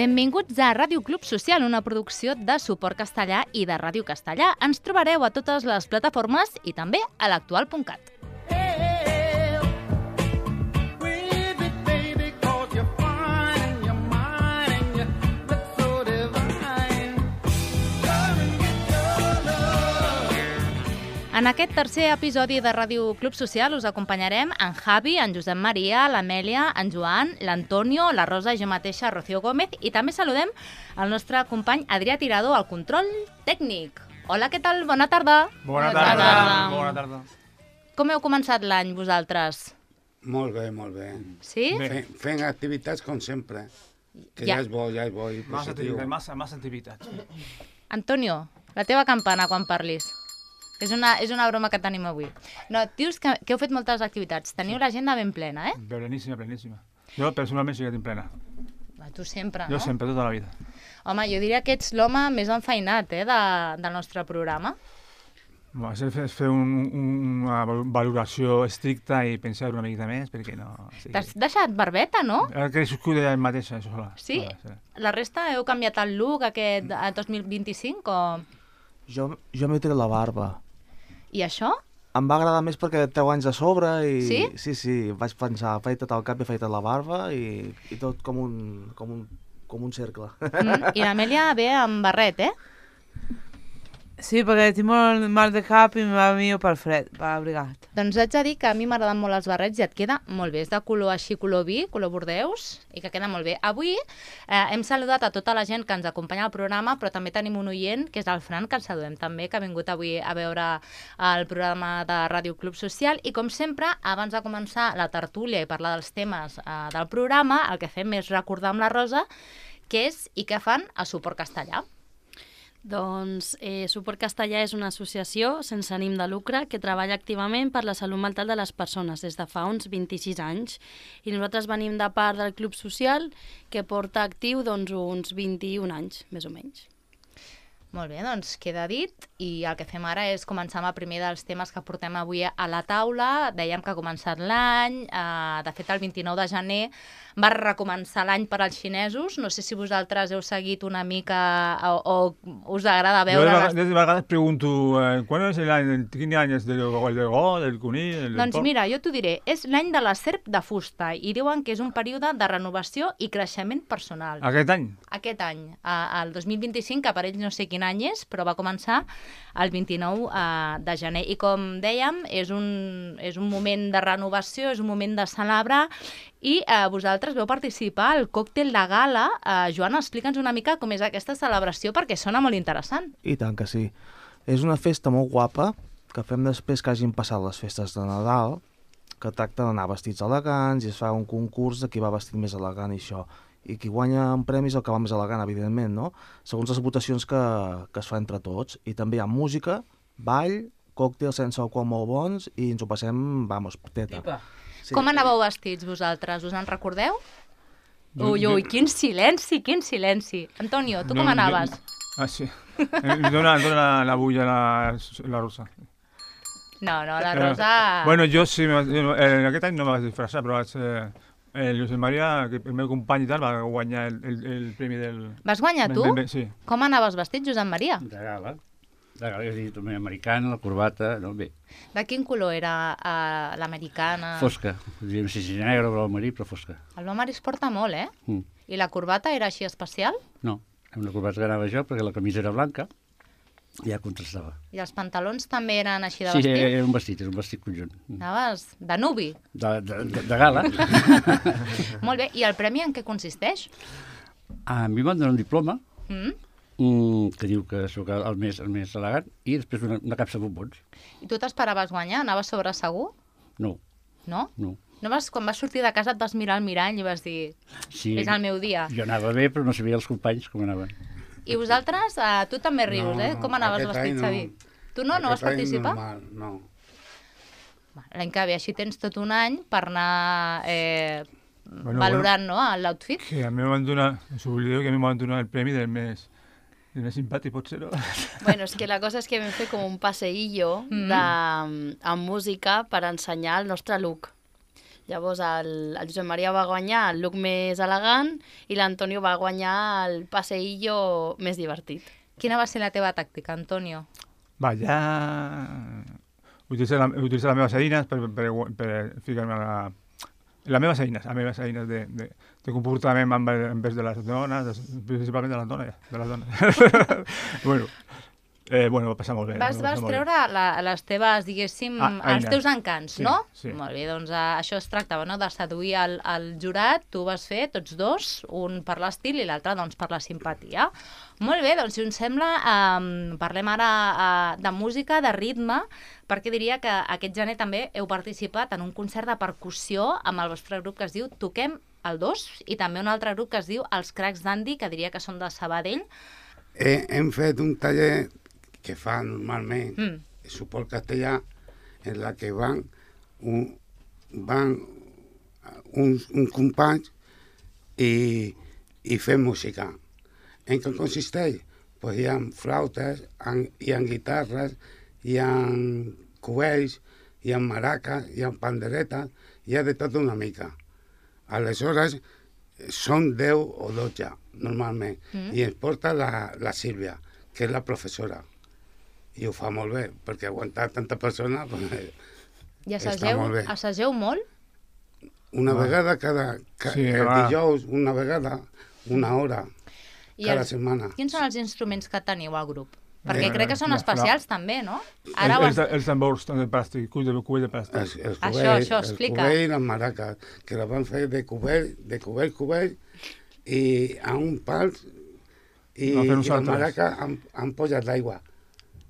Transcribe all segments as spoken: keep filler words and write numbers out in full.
Benvinguts a Ràdio Club Social, una producció de Suport Castellà i de Ràdio Castellà. Ens trobareu a totes les plataformes i també a l'actual punt cat. En aquest tercer episodi de Ràdio Club Social us acompanyarem en Javi, en Josep Maria, l'Amèlia, en Joan, l'Antonio, la Rosa i jo mateixa, Rocío Gómez, i també saludem el nostre company Adrià Tirado al control tècnic. Hola, què tal? Bona tarda. Bona tarda. Bona tarda. Com heu començat l'any vosaltres? Molt bé, molt bé. Sí? Fent, fent activitats com sempre, que Ja. ja, ja és bo, ja és bo i Massa positiu. activitats, massa, massa activitats. Antonio, la teva campana quan parlis. És una, és una broma que tenim avui. No, dius que, que heu fet moltes activitats. Teniu l'agenda ben plena, eh? Pleníssima, pleníssima. Jo personalment sí que tinc plena. Va, tu sempre, Jo no? sempre, tota la vida. Home, jo diria que ets l'home més enfeinat, eh, de, del nostre programa. Bueno, és fer, és fer un, un, una valoració estricta i pensar una miqueta més, perquè no... Sí. T'has deixat barbeta, no? Ha crescut ella mateixa, sola. Sí? Sola, sí. La resta heu canviat el look aquest a dos mil vint-i-cinc o... Jo, jo m'he tret la barba. I això? Em va agradar més perquè treu anys de sobre i... Sí? Sí, sí, vaig pensar, afeita't el cap i afeita't la barba i, i tot com un, com un, com un cercle. Mm, I l'Amèlia ve amb barret, eh? Sí, perquè tinc molt mal de cap i me va millor pel fred, per abrigat. Doncs haig de dir que a mi m'agraden molt els barrets i et queda molt bé. És de color així, color vi, color bordeus, i que queda molt bé. Avui eh, hem saludat a tota la gent que ens acompanya al programa, però també tenim un oient, que és el Fran, que el saludem també, que ha vingut avui a veure el programa de Ràdio Club Social. I com sempre, abans de començar la tertúlia i parlar dels temes eh, del programa, el que fem és recordar amb la Rosa què és i què fan a Suport Castellà. Doncs eh, Suport Castellà és una associació sense ànim de lucre que treballa activament per la salut mental de les persones des de fa uns vint-i-sis anys. I nosaltres venim de part del Club Social, que porta actiu doncs, uns vint-i-un anys, més o menys. Molt bé, doncs queda dit, i el que fem ara és començar amb el primer dels temes que portem avui a la taula. Dèiem que ha començat l'any, eh, de fet el vint-i-nou de gener va recomençar l'any per als xinesos. No sé si vosaltres heu seguit una mica o, o us agrada Jo veure... de, les... vegades, de vegades pregunto, eh, quan és l'any, quin any és del, el del go, del conill, del Doncs porc? mira, jo t'ho diré, és l'any de la serp de fusta i diuen que és un període de renovació i creixement personal. Aquest any? Aquest any, eh, el dos mil vint-i-cinc, que per ells no sé quin any és, però va començar el vint-i-nou eh, de gener. I com dèiem, és un, és un moment de renovació, és un moment de celebrar, i eh, vosaltres veu participar al còctel de gala. Eh, Joan, explica'ns una mica com és aquesta celebració, perquè sona molt interessant. I tant que sí. És una festa molt guapa que fem després que hagin passat les festes de Nadal, que tracta d'anar vestits elegants i es fa un concurs de qui va vestit més elegant i això. I qui guanya en premis el que va més elegant, evidentment, no? Segons les votacions que, que es fa entre tots. I també hi ha música, ball, còctels sense alcohol molt bons i ens ho passem, vamos, teta. Sí. Com anàveu vestits vosaltres? Us en recordeu? Jo- Ui, jo- ui, quin silenci, quin silenci. Antonio, tu com No, anaves? Jo, ah, sí. Eh, Li dona, dona la bulla la, la Rosa. No, no, la Eh, Rosa... Bueno, jo sí, me vaig- eh, aquest any no me vaig disfressar, però vaig, eh, el Josep Maria, que el meu company i tal, va guanyar el, el, el premi del... Vas guanyar tu? Ben, ben, ben, sí. Com anaves vestit, Josep Maria? De gala. De gala, és a dir, també americana, la corbata, no, bé, De quin color era uh, l'americana? fosca. No sé si negra o blau marí, però fosca. El blau marí es porta molt, eh? Mm. I la corbata era així especial? No, era una corbata que anava jo perquè la camisa era blanca i ja contrastava. I els pantalons també eren així de Sí, vestit? era un vestit, era un vestit conjunt. Anaves de nubi? De, de, de, de gala. Molt bé, i el premi en què consisteix? A mi em van donar un diploma Mm? mm, que diu que sóc el més, el més elegant i després una, una capsa de bombons. I tu t'esperaves guanyar? Anaves sobre segur? No, No? no. No vas, quan vas sortir de casa et vas mirar al mirall i vas dir Sí, és el meu dia. jo anava bé, però no sabia els companys com anaven. I vosaltres, uh, tu també rius, No, eh? no, Com anaves aquest vestit, any Xavi? Tu no? No vas Aquest any participar? Normal, no. Va, l'any que ve així tens tot un any per anar eh, Bueno, valorant no, l'outfit. Que a mi em van donar, us oblideu que a mi em van donar el premi del més, el més simpàtic, potser, no? Bueno, és que la cosa és que vam fer com un passeillo Mm. de, amb música per ensenyar el nostre look. Llavors el, el Josep Maria va guanyar el look més elegant i l'Antonio va guanyar el passeillo més divertit. Quina va ser la teva tàctica, Antonio? Va, ja... Utilitzar, la, utilitzar les meves eines per, per, per ficar-me a la... Les meves eines, les meves eines de, de, de comportament en, envers de les dones, de, principalment de les dones, ja, de les dones. bueno, eh, bueno, va passar molt bé. Vas, vas treure la, les teves, diguéssim, Ah, els eines. teus encants, Sí, no? sí. Molt bé, doncs uh, això es tractava, no?, de seduir el, el jurat. Tu vas fer tots dos, un per l'estil i l'altre, doncs, per la simpatia. Molt bé, doncs, si us sembla, um, parlem ara uh, de música, de ritme, perquè diria que aquest gener també heu participat en un concert de percussió amb el vostre grup que es diu Toquem el dos i també un altre grup que es diu Els Cracs d'Andy, que diria que són de Sabadell. He, hem fet un taller que fa normalment Mm. suport castellà, en la que van un, van uns, un companys i, i fem música. En què consisteix? Pues hi ha flautes, han, hi ha guitarres, hi ha cubells, hi ha maraques, hi ha panderetes, hi ha de tot una mica. Aleshores, són deu o dotze, normalment, Mm. i ens porta la, la Sílvia, que és la professora. I ho fa molt bé, perquè aguantar tanta persona... Pues, I Està assageu, molt bé. assageu molt? una Ah. vegada cada... ca, Sí, el va. dijous, una vegada, una hora, I cada els- setmana. Quins són els instruments que teniu al grup? Perquè Eh, crec que són la- especials també, no? Ara ho Els, has... els tambors de plàstic, cull de, cull de plàstic. Els, els Això, cubells, això, els explica. cubells i les maraques, que la van fer de cubell, de cubell, cubell, i a un pal, i, No, fem i la nosaltres. maraca han, han posat l'aigua.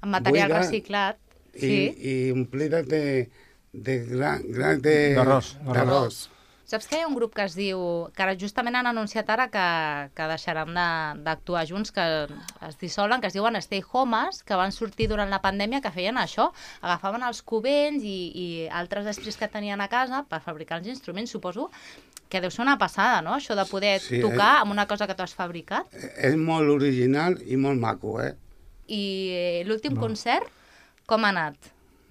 amb material buida reciclat. I, Sí. i omplides de, de gran, gran de... D'arròs, d'arròs. d'arròs. Saps que hi ha un grup que es diu... que ara justament han anunciat ara que, que deixaran de- d'actuar junts, que es dissolen, que es diuen Stay Homes, que van sortir durant la pandèmia, que feien això, agafaven els cubells i, i altres estris que tenien a casa per fabricar els instruments. Suposo que deu ser una passada, no?, això de poder Sí, tocar eh? amb una cosa que tu has fabricat. És molt original i molt maco, eh? I eh, l'últim No. concert, com ha anat?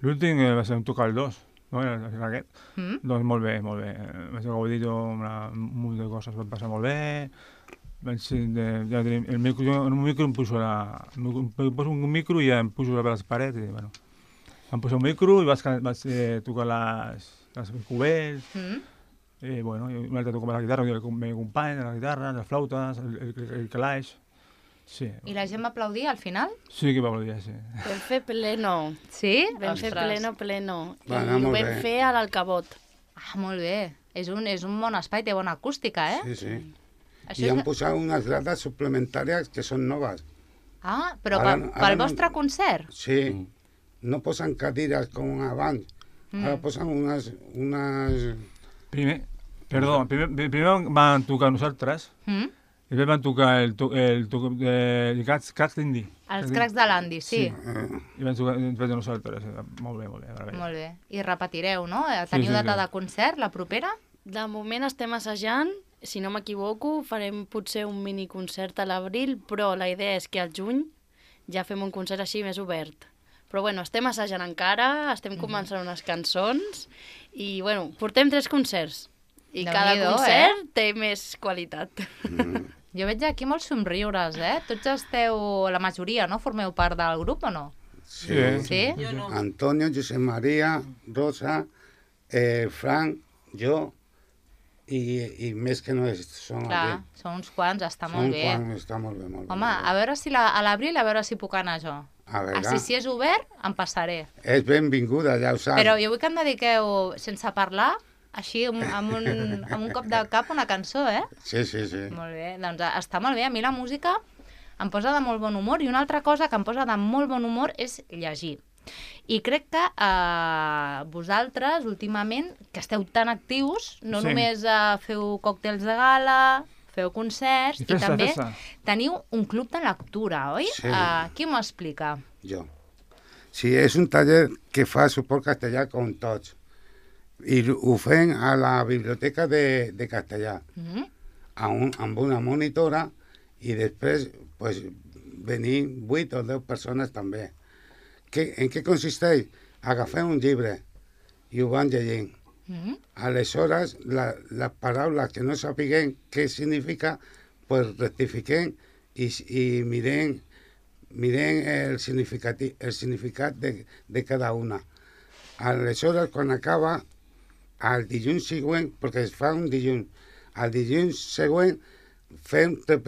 L'últim eh, va ser un tocar el dos, no? Era aquest. Mm? Doncs molt bé, molt bé. Eh, Vaig gaudir una, un munt de coses, va passar molt bé. Vaig ser de, ja tenim, el micro, jo en un micro em poso, la, em poso un micro i ja em poso a les parets i, bueno, em poso un micro i vaig, vaig eh, tocar les, les cubells, Mm? i, bueno, i un altre tocava la guitarra, el meu company, la guitarra, les flautes, el, el, el, el calaix. Sí, I la gent va aplaudir al final? sí que va voler dir, sí. Vam fer pleno. Sí? Vam fer Ostres. pleno, pleno. Va I anar ho molt vam bé. fer a l'Alcabot. Ah, molt bé. És un, és un bon espai, té bona acústica, eh? Sí, sí. Això I han és... posat unes grades suplementàries que són noves. Ah, però Ara per, no- pel ara no- vostre concert? Sí, Mm. no posen cadires com abans. Mm. Ara posen unes... unes... Primer, perdó, primer, primer van tocar nosaltres, Mm? i després van tocar el, to, el, to, el Cats, Cats d'Indi. Els cracs de l'Andy, sí. Eh, I van tocar després de nosaltres. eh, Molt bé, molt bé. meravella. Molt bé. I repetireu, no? Eh, Teniu sí, data sí. de concert, la propera? De moment estem assajant, si no m'equivoco, farem potser un miniconcert a l'abril, però la idea és que al juny ja fem un concert així més obert. Però bueno, estem assajant encara, estem començant unes cançons i bueno, portem tres concerts. I cada Déu-n'hi-do, concert té més qualitat. Jo veig aquí molts somriures, eh? Tots esteu, la majoria, no? Formeu part del grup o no? sí. eh? Sí? Jo no. Antonio, José María, Rosa, eh, Frank, jo i, i més que no és, són Clar, aquí. són uns quants, està Són molt bé. quan està molt bé, molt bé. Home, molt bé. a veure si la, a l'abril, a veure si puc anar jo. A veure, Així, si és obert, em passaré. és benvinguda, ja ho saps. Però jo vull que em dediqueu, sense parlar, així, amb, amb, un, amb un cop de cap, una cançó, eh? Sí, sí, sí. Molt bé, doncs està molt bé. A mi la música em posa de molt bon humor i una altra cosa que em posa de molt bon humor és llegir. I crec que eh, vosaltres, últimament, que esteu tan actius, no Sí. només eh, feu còctels de gala, feu concerts, I i, festa, també festa. teniu un club de lectura, oi? Sí. Uh, qui m'ho explica? Jo. Sí, és un taller que fa suport castellà com tots. I ho fem a la biblioteca de, de castellà, Mm? a un, amb una monitora, i després pues, venir vuit o deu persones també. Que, en què consisteix? Agafem un llibre i ho van llegint. Mm-hmm. Aleshores, la, les paraules que no sapiguem què significa, pues rectifiquem i, i mirem, mirem el, significat, el significat de, de cada una. Aleshores, quan acaba, el dilluns següent, perquè es fa un dilluns, el dilluns següent fem, re,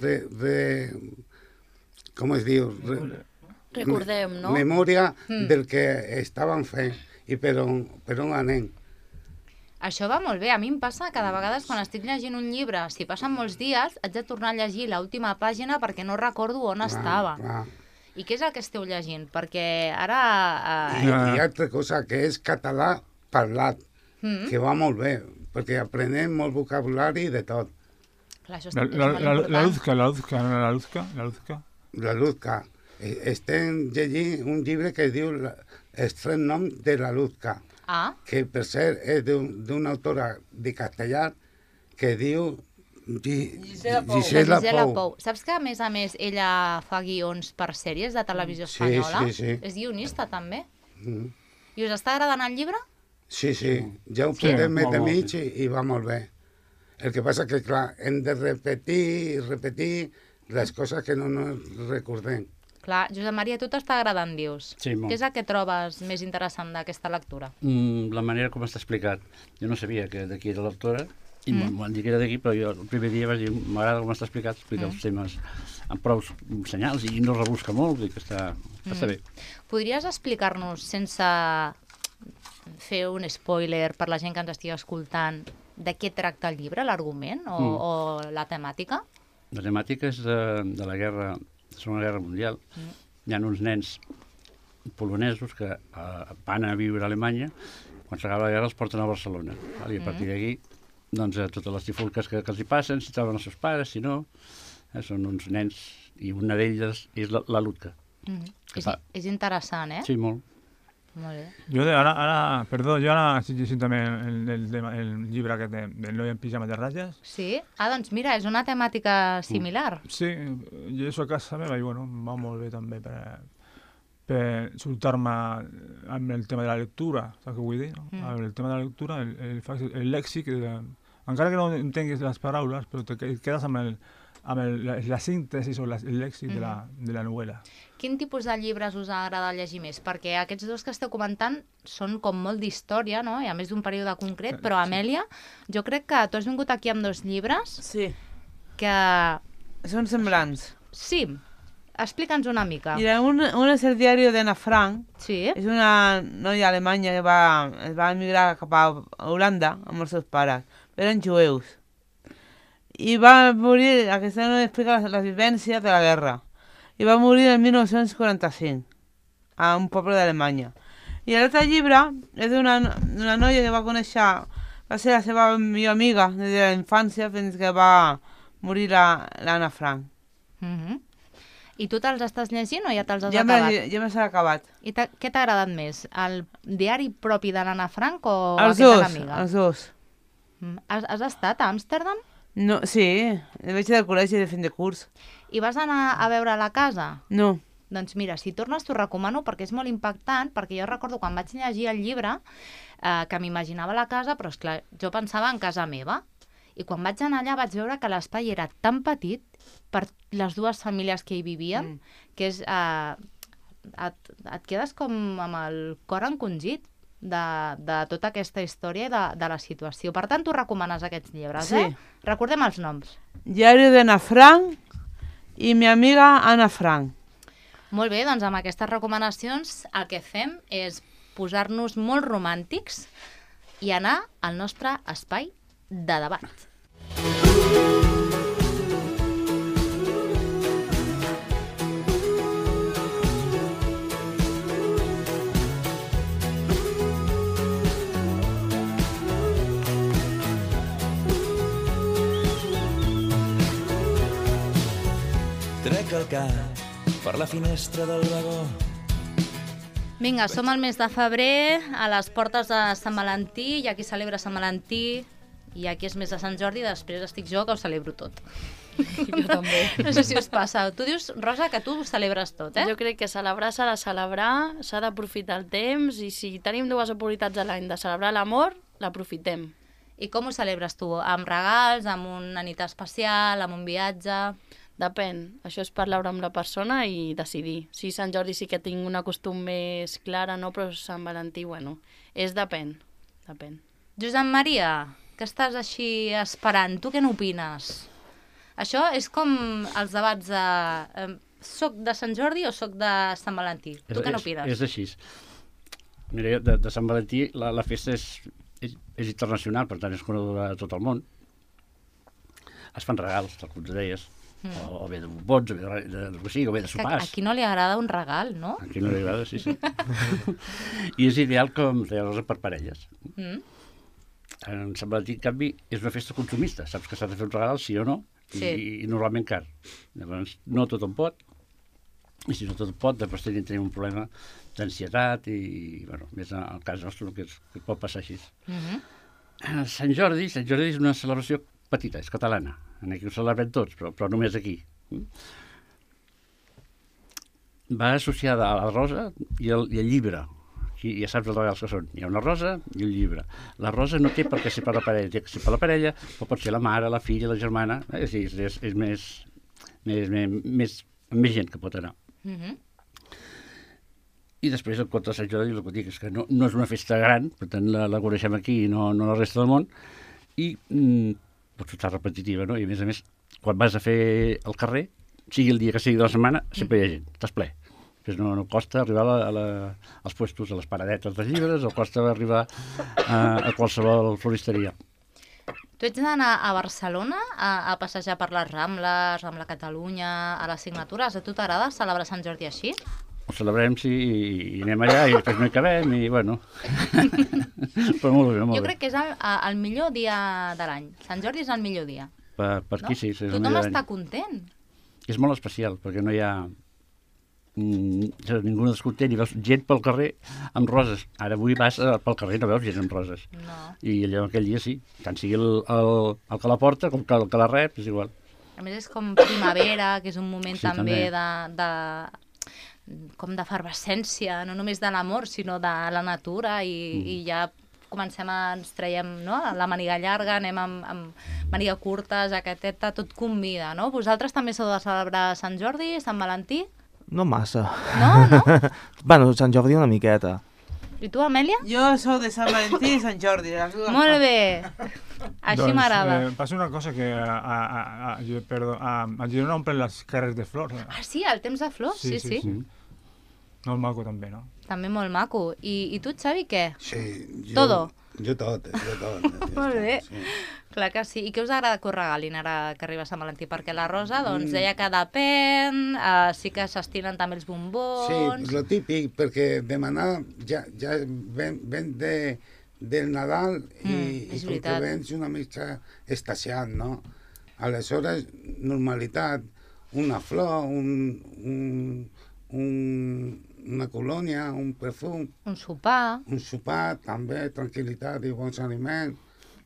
re, re, com es diu? Re, Recordem, no? Memòria mm. del que estàvem fent i per on, per on anem. Això va molt bé. A mi em passa que de vegades quan estic llegint un llibre, si passen molts dies, haig de tornar a llegir l'última pàgina perquè no recordo on clar, estava. Clar. I què és el que esteu llegint? Perquè ara... Eh... I, I altra cosa, que és català parlat, mm. que va molt bé, perquè aprenem molt vocabulari de tot. Clar, això és, la, és la, molt la, important. La Luzca, la Luzca, no, la Luzca, la Luzca. La Luzca. Estem llegint un llibre que es diu Estret nom de la Luzca, ah. que per cert és d'una autora de castellà que diu Gisela Pou. Gisela Gisela Pou. Pou. Saps que a més a més ella fa guions per sèries de televisió sí, espanyola? Sí, sí. És guionista també. Mm. I us està agradant el llibre? Sí, sí, ja ho sí, podem metre molt mig i, i va molt bé. El que passa que, clar, hem de repetir i repetir les coses que no ens recordem. Clar, Josep Maria, a tu t'està agradant, dius. Sí, molt. Què és el que trobes més interessant d'aquesta lectura? Mm, la manera com està explicat. Jo no sabia que d'aquí era l'autora, i mm. m'ho han dit que era d'aquí, però jo el primer dia vaig dir, m'agrada com està explicat, explica mm. els temes amb prou senyals i no rebusca molt, i que està, mm. està bé. Podries explicar-nos, sense fer un spoiler per la gent que ens estigui escoltant, de què tracta el llibre, l'argument o, mm. o la temàtica? La temàtica és de, de la guerra, de la Segona Guerra Mundial. Mm. Hi ha uns nens polonesos que uh, van a viure a Alemanya, quan s'acaba la guerra els porten a Barcelona. Val? I a partir d'aquí, doncs, eh, totes les trifulques que, que els hi passen, si troben els seus pares, si no, eh, són uns nens, i una d'elles és la, la Luzca. Mm. És, és interessant, eh? Sí, molt. Molt bé. Jo de, ara, ara, perdó, jo ara estic llegint també el, el, el, el llibre aquest de, del noi en pijama de ratlles. Sí? Ah, doncs mira, és una temàtica similar. Sí, jo això a casa meva i bueno, em va molt bé també per, per soltar-me amb el tema de la lectura, saps què vull dir? No? Mm. El tema de la lectura, el, el, el, el lèxic, el, encara que no entenguis les paraules, però te quedes amb, el, amb el, la, la síntesi o la, el lèxic mm. de, la, de la novel·la. Quin tipus de llibres us agrada llegir més? Perquè aquests dos que esteu comentant són com molt d'història, no? I a més d'un període concret, però Amèlia, jo crec que tu has vingut aquí amb dos llibres sí. que... Són semblants. Sí, explica'ns una mica. Mira, un, un és el diari d'Anna Frank. Sí. És una noia alemanya que va, es va emigrar cap a Holanda amb els seus pares. Eren jueus. I va morir, aquesta noia explica la, la vivència de la guerra. I va morir el mil nou-cents quaranta-cinc a un poble d'Alemanya. I l'altre llibre és d'una una noia que va conèixer, va ser la seva millor amiga des de la infància fins que va morir l'Anna Frank. Mm-hmm. I tu te'ls estàs llegint o ja te'ls has ja acabat? Ja me s'ha acabat. I què t'ha agradat més? El diari propi de l'Anna Frank o els aquest dos, de l'amiga? Els dos. Mm. Has, has estat a Amsterdam? No, sí, vaig del col·legi de fin de curs. I vas anar a veure la casa? No. Doncs mira, si tornes t'ho recomano perquè és molt impactant, perquè jo recordo quan vaig llegir el llibre eh, que m'imaginava la casa, però esclar, jo pensava en casa meva. I quan vaig anar allà vaig veure que l'espai era tan petit per les dues famílies que hi vivien, mm. que és, eh, et, et quedes com amb el cor encongit de, de tota aquesta història de, de la situació. Per tant, tu recomanes aquests llibres, sí. eh? Recordem els noms. Diari d'Anna Frank i mi amiga Anna Frank. Molt bé, doncs amb aquestes recomanacions el que fem és posar-nos molt romàntics i anar al nostre espai de debat. Trec el cap per la finestra del vagó. Vinga, som al mes de febrer, a les portes de Sant Valentí, hi ha qui celebra Sant Valentí, i aquí és mes de Sant Jordi, després estic jo que ho celebro tot. Jo també. No sé si us passa. Tu dius, Rosa, que tu ho celebres tot, eh? Jo crec que celebrar s'ha de celebrar, s'ha d'aprofitar el temps, i si tenim dues oportunitats a l'any de celebrar l'amor, l'aprofitem. I com ho celebres tu? Amb regals, amb una nit especial, amb un viatge? Depèn. Això és parlar amb la persona i decidir. Si Sant Jordi sí que tinc una costum més clara, no, però Sant Valentí, bueno, és depèn. Depèn. Josep Maria, que estàs així esperant, tu què n'opines? Això és com els debats de... Eh, soc de Sant Jordi o soc de Sant Valentí? Tu què n'opines? És, és així. Mira, de, de Sant Valentí la, la festa és, és, és internacional, per tant és coneguda a tot el món. Es fan regals, tal com tu deies, mm. o, o bé de bombons, o bé de, de, de, o bé de sopars. A qui no li agrada un regal, no? A qui no li agrada, sí, sí. I és ideal com deia Rosa per parelles. Mm. En Sant Valentí, en canvi, és una festa consumista. Saps que s'ha de fer un regal, sí o no, i, sí. i, i normalment car. Llavors, no tothom pot, i si no tothom pot, després tenim, tenim un problema d'ansietat i, bueno, més en el cas nostre, que, és, que pot passar així. Mm-hmm. Sant Jordi, Sant Jordi és una celebració petita, és catalana. Aquí ho celebrem tots, però, però només aquí. Va associada a la rosa i el, i el llibre. Aquí ja saps els regals que són. Hi ha una rosa i un llibre. La rosa no té per què ser per la parella, té que ser per la parella, però pot ser la mare, la filla, la germana. Eh? És, és, és més, més, més, més, més gent que pot anar. Mm-hmm. I després, el conte de Sant Jordi, el que dic és que no, no és una festa gran, per tant la, la coneixem aquí i no, no la resta del món, i mm, pot estar repetitiva, no? I a més a més, quan vas a fer el carrer, sigui el dia que sigui de la setmana, sempre hi ha gent, estàs ple. Després no, no costa arribar a la, a la, als puestos, a les paradetes dels llibres, o costa arribar a, a qualsevol floristeria. Tu ets d'anar a Barcelona a, a passejar per les Rambles, Rambla Catalunya, a les signatures. A tu t'agrada celebrar Sant Jordi així? Ho celebrem, sí, i anem allà, i després no hi acabem, i bueno... Però molt bé, molt bé. Jo crec que és el, el millor dia de l'any. Sant Jordi és el millor dia. Per, per aquí no? Sí, és el Tothom millor està content. És molt especial, perquè no hi ha... Mm, ningú no descontent, i veus gent pel carrer amb roses. Ara avui vas pel carrer i no veus gent amb roses. No. I allò aquell dia sí, tant sigui el, el, el que la porta com que el que la rep, és igual. A més és com primavera, que és un moment sí, també, també. de... de com d'efervescència, no només de l'amor, sinó de la natura, i, mm. i ja comencem a... ens traiem, no?, la maniga llarga, anem amb, amb maniga curta, jaqueteta, tot convida, no? Vosaltres també sou de celebrar Sant Jordi, Sant Valentí? No massa. No, no? Bueno, Sant Jordi una miqueta. I tu, Amèlia? Jo sóc de Sant Valentí i Sant Jordi. Molt bé. Així doncs, m'agrada. Eh, passa una cosa que a, a, a, a, perdó, a, a Girona omplen les carrers de flors. Ah, sí, el temps de flors, sí, sí. sí. sí. Molt maco també, no? També molt maco. I, i tu, Xavi, què? Sí. Jo, Todo? Jo tot, jo tot. Molt bé. Sí. Clar que sí. I què us agrada que us regalin ara que arriba Sant Valentí? Perquè la Rosa, doncs, deia que depèn, uh, sí que s'estilen també els bombons... Sí, lo típic, perquè demanar ja, ja ven, ven de, del Nadal i, mm, i com que vens una mica estasiat, no? Aleshores, normalitat, una flor, un... un, un una colònia, un perfum... Un sopar. Un sopar, també, tranquil·litat i bons aliments.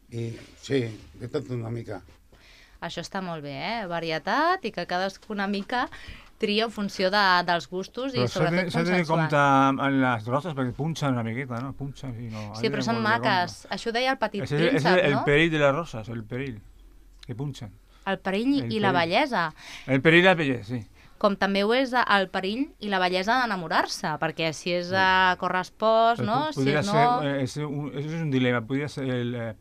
I sí, de tot una mica. Això està molt bé, eh? Varietat i que cadascú una mica tria en funció de, dels gustos i però sobretot s'ha de tenir consensuat. compte amb les roses perquè punxen una miqueta, no? Punxen, sí, no. Sí, però són maques. Això ho deia el Petit és, Príncep, és el, no? el perill de les roses, el perill, que punxen. El perill el i la bellesa. El perill i la bellesa, sí. Com també ho és el perill i la bellesa d'enamorar-se, perquè si és a correspost, no? Si Podria no... ser, és un, és un dilema, podria ser el, eh,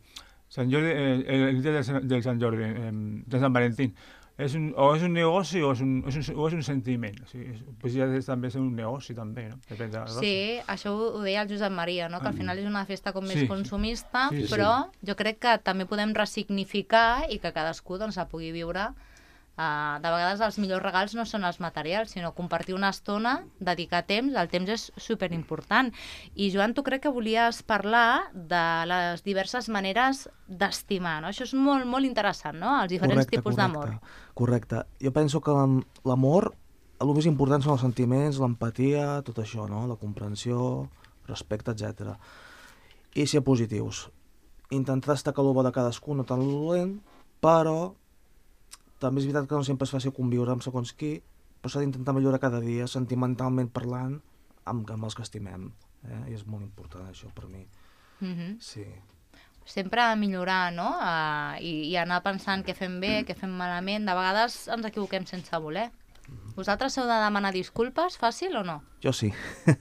Sant Jordi, el, el dia del, del Sant Jordi, eh, de Sant Valentín, és un, o és un negoci o és un, és un, o és un sentiment. O sigui, és, podria també ser un negoci, també, no? Depèn de la rosa. Sí, això ho, ho deia el Josep Maria, no? Que al final és una festa com més sí, consumista, sí, sí. però jo crec que també podem ressignificar i que cadascú doncs, la pugui viure. Uh, de vegades els millors regals no són els materials, sinó compartir una estona, dedicar temps, el temps és superimportant. I Joan, tu crec que volies parlar de les diverses maneres d'estimar, no? Això és molt, molt interessant, no? Els diferents correcte, tipus d'amor. Correcte. Jo penso que l'amor, el més important són els sentiments, l'empatia, tot això, no? La comprensió, respecte, etcètera. I ser positius. Intentar destacar el bo de cadascú, no tan dolent, però també és veritat que no sempre és fàcil conviure amb segons qui, però s'ha d'intentar millorar cada dia, sentimentalment parlant, amb, amb els que estimem. Eh? I és molt important això per mi. Mm-hmm. Sí. sempre millorar, no? Uh, i, I anar pensant què fem bé, què fem malament. De vegades ens equivoquem sense voler. Vosaltres heu de demanar disculpes, fàcil o no? Jo sí.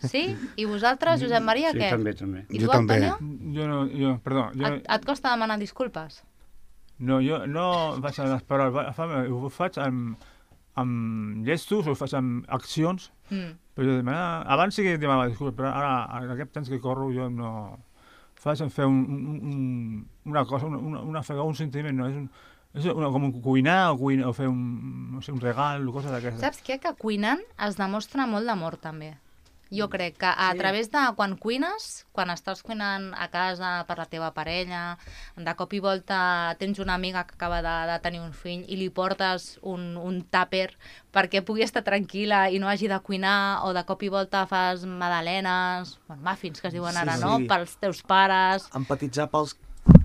Sí? I vosaltres, Josep Maria, Sí, què? també, també. I Jo tu, també. Antonio? Jo no, jo, perdó, jo, Et, et costa demanar disculpes? no, jo no faig amb les paraules, fa- ho faig amb, amb gestos, ho faig amb accions, Mm. però jo demana, abans sí que demanava disculpes, però ara, en aquest temps que corro, jo no faig en fer un, un, un, una cosa, una, una, una fega, un sentiment, no, és, un, és una, com un cuinar o, cuinar, o fer un, no sé, un regal o coses d'aquestes. Saps què? Que cuinant es demostra molt d'amor, també. Jo crec que a través de quan cuines, quan estàs cuinant a casa per la teva parella, de cop i volta tens una amiga que acaba de, de tenir un fill i li portes un, un tàper perquè pugui estar tranquil·la i no hagi de cuinar, o de cop i volta fas magdalenes, bueno, muffins que es diuen Sí, ara, sí. no? Pels teus pares. Empatitzar pels,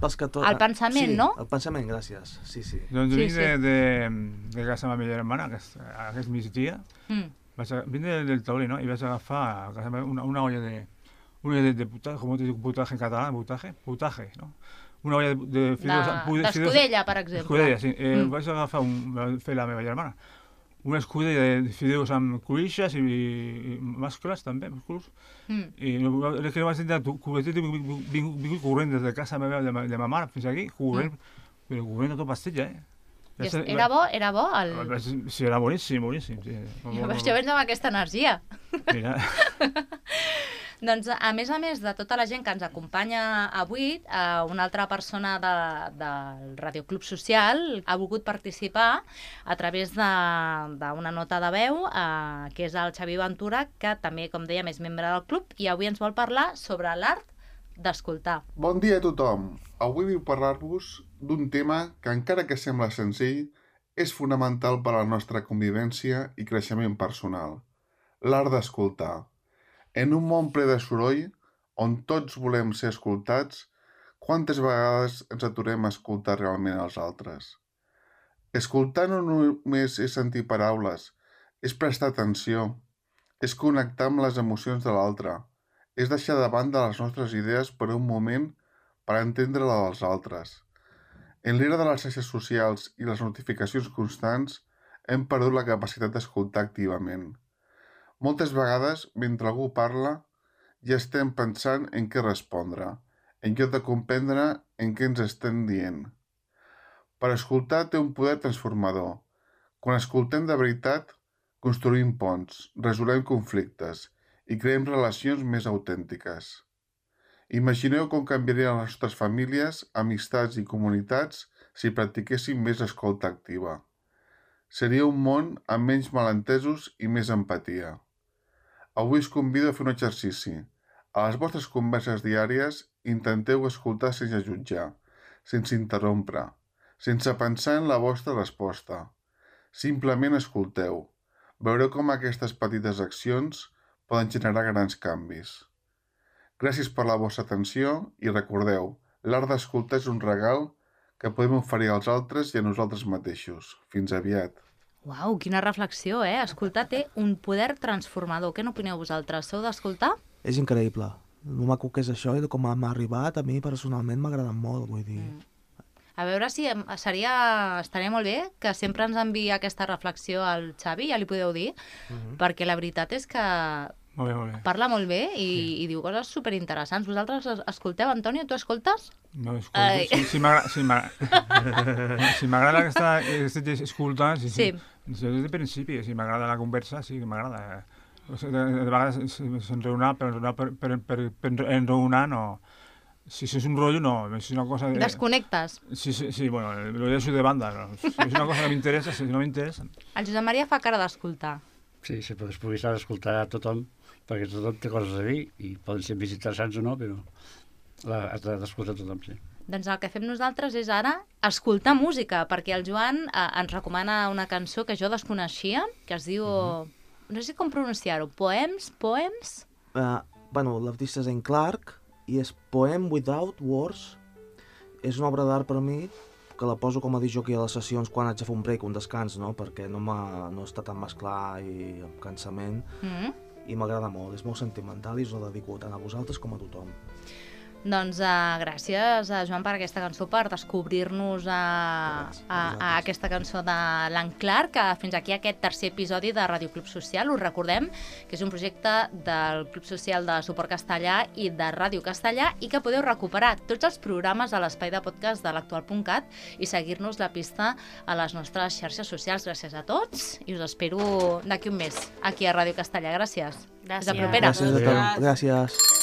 pels que tot... El pensament, sí, no? el pensament, gràcies. Sí, sí. Doncs Sí, vinc sí. de, de, de casa de la meva germana, aquest, aquest migdia, Mm. vaig a, vinc del, del taulí, no? I vaig agafar a casa meva una, una olla de, una olla de, de putage, com te dic putage en català, putage, putage, no? Una olla de, de De- fideus... pu- fideus- D'escudella, per exemple. Escudella, sí. Eh, Mm. mm. Vaig agafar, un, va fer la meva germana, una escudella de fideus amb cruixes i, i mascles també, musclos. Mm. I no- és que no vaig tenir cubetet i vinc, vinc, vinc corrent des de casa meva, de, ma- de ma mare fins aquí, corrent, mm. però corrent a tot pastilla, eh? I es- Era bo? Era bo? El... Sí, era boníssim, boníssim. Sí. Jo veig, jo veig amb aquesta energia. Mira, Doncs, a més a més de tota la gent que ens acompanya avui, eh, una altra persona de, del Radioclub Social ha volgut participar a través de- d'una nota de veu, eh, que és el Xavi Ventura, que també, com dèiem, és membre del club, i avui ens vol parlar sobre l'art d'escoltar. Bon dia a tothom. Avui vull parlar-vos d'un tema que, encara que sembla senzill, és fonamental per a la nostra convivència i creixement personal. L'art d'escoltar. En un món ple de soroll, on tots volem ser escoltats, quantes vegades ens aturem a escoltar realment els altres? Escoltar no només és sentir paraules, és prestar atenció, és connectar amb les emocions de l'altre, és deixar de banda les nostres idees per un moment per entendre la dels altres. En l'era de les xarxes socials i les notificacions constants, hem perdut la capacitat d'escoltar activament. Moltes vegades, mentre algú parla, ja estem pensant en què respondre, en lloc de comprendre en què ens estem dient. Per escoltar té un poder transformador. Quan escoltem de veritat, construïm ponts, resolem conflictes i creem relacions més autèntiques. Imagineu com canviarien les nostres famílies, amistats i comunitats si practiquéssim més escolta activa. Seria un món amb menys malentesos i més empatia. Avui us convido a fer un exercici. A les vostres converses diàries intenteu escoltar sense jutjar, sense interrompre, sense pensar en la vostra resposta. Simplement escolteu. Veureu com aquestes petites accions poden generar grans canvis. Gràcies per la vostra atenció i recordeu, l'art d'escoltar és un regal que podem oferir als altres i a nosaltres mateixos. Fins aviat. Uau, quina reflexió, eh? Escoltar té un poder transformador. Què n'opineu vosaltres? Sou d'escoltar? És increïble. El maco que és això i de com m'ha arribat, a mi personalment m'ha agradat molt, vull dir... Mm. A veure si em- seria, estaria molt bé que sempre ens enviï aquesta reflexió al Xavi, ja li podeu dir, Mhm. perquè la veritat és que molt bé, molt bé. parla molt bé i, i diu coses superinteressants. Vosaltres es- escolteu, Antonio? Tu escoltes? No, escolto, Ai. si, si m'agrada si m'agrada si m'agrada aquesta, aquesta escoltar, sí, sí. Sí. Des de principi, si m'agrada la conversa, sí que m'agrada. O sigui, de, de vegades s'enreunar, però enreunar per, per, per, per enreunar no... Si, si és un rotllo, no. Si és una cosa... De... Desconnectes? Sí, sí, sí, bueno, lo deixo de banda. No? Si és una cosa que m'interessa, si no m'interessa... El Josep Maria fa cara d'escoltar. Sí, sí, però després s'ha d'escoltar a tothom, perquè tothom té coses a dir, i poden ser més interessants o no, però la, has d'escoltar tothom, sí. Doncs el que fem nosaltres és ara escoltar música, perquè el Joan eh, ens recomana una cançó que jo desconeixia, que es diu... Uh-huh. No sé com pronunciar-ho. Poems? Poems? Uh, bueno, l'artista és en Clark i és Poem Without Words. És una obra d'art per a mi que la poso com a disjockey a les sessions quan haig de fer un break, un descans, no? Perquè no, no està tan mesclar i amb cansament. Mm -hmm. I m'agrada molt, és molt sentimental i us la dedico tant a vosaltres com a tothom. Doncs uh, gràcies, uh, Joan, per aquesta cançó, per descobrir-nos a, a, a aquesta cançó de l'Anclar, que fins aquí aquest tercer episodi de Ràdio Club Social. Us recordem que és un projecte del Club Social de Suport Castellà i de Ràdio Castellà i que podeu recuperar tots els programes a l'espai de podcast de l'actual punt cat i seguir-nos la pista a les nostres xarxes socials. Gràcies a tots i us espero d'aquí un mes aquí a Ràdio Castellà. Gràcies. Gràcies. Fins la propera. Gràcies a tots. Gràcies.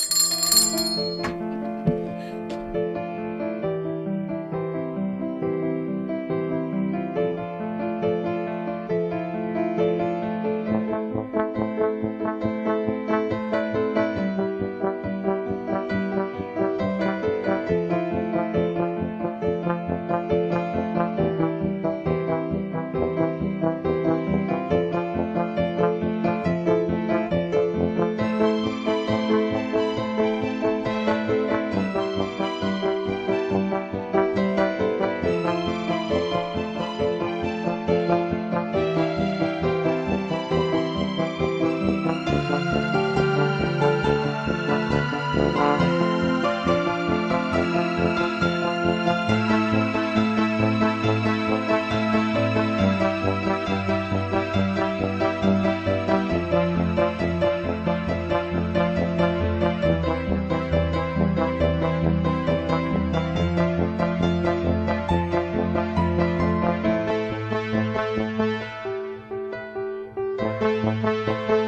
Thank you.